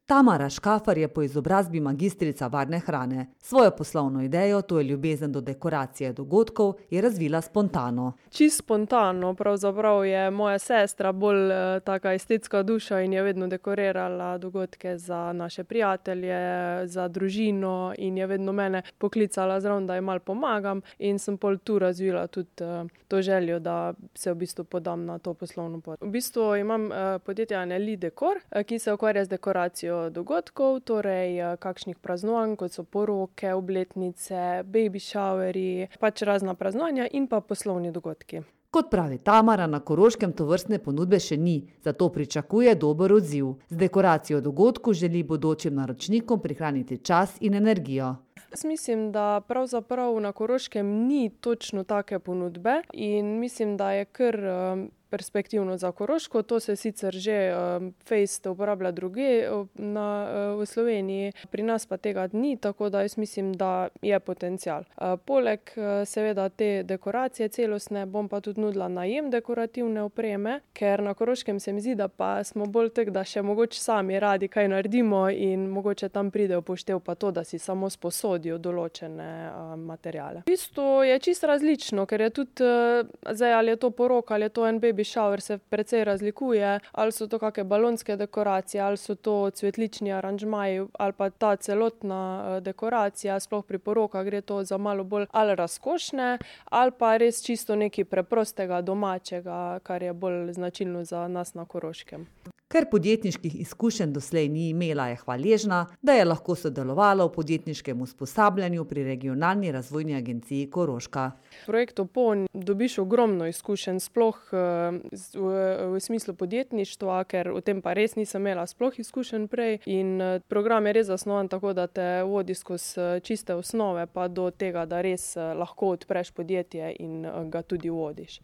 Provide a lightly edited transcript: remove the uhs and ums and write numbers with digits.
Tamara Škafar je po izobrazbi magistrica varne hrane. Svojo poslovno idejo, to je ljubezen do dekoracije dogodkov, je razvila spontano. Čisto spontano, pravzaprav je moja sestra bolj taka estetska duša in je vedno dekorirala dogodke za naše prijatelje, za družino in je vedno mene poklicala zraven, da ji malo pomagam in sem pol tu razvila tudi to željo, da se v bistvu podam na to poslovno pot. V bistvu imam podjetje Anneli Dekor, ki se ukvarja z dekoracijo dogodkov, torej kakšnih praznovanj, kot so poroke, obletnice, baby showeri, pač razna praznovanja in pa poslovni dogodki. Kot pravi Tamara, na Koroškem tovrstne ponudbe še ni, zato pričakuje dober odziv. Z dekoracijo dogodku želi bodočim naročnikom prihraniti čas in energijo. Jaz mislim, da pravzaprav na Koroškem ni točno take ponudbe in mislim, da je kar perspektivno za Koroško. To se sicer že fejst uporablja drugje v Sloveniji, pri nas pa tega ni, tako da jaz mislim, da je potencial. Poleg seveda te dekoracije celostne bom pa tudi nudila najem dekorativne opreme, ker na Koroškem se mi zdi, da pa smo bolj tak, da še mogoče sami radi kaj naredimo in mogoče tam pride upoštev pa to, da si samo sposodijo določene materiale. V bistvu je čisto različno, ker je tudi, zdaj ali je to poroka, ali je to en baby shower, se precej razlikuje, ali so to kakšne balonske dekoracije, ali so to cvetlični aranžmaji, ali pa ta celotna dekoracija, sploh pri porokah gre to za malo bolj ali razkošne, ali pa res čisto nekaj preprostega, domačega, kar je bolj značilno za nas na Koroškem. Ker podjetniških izkušenj doslej ni imela, je hvaležna, da je lahko sodelovala v podjetniškem usposabljanju pri regionalni razvojni agenciji Koroška. V projektu PON dobiš ogromno izkušenj, sploh v smislu podjetništva, ker o tem pa res nisem imela sploh izkušenj prej in program je res zasnovan tako, da te vodi skozi čiste osnove pa do tega, da res lahko odpreš podjetje in ga tudi vodiš.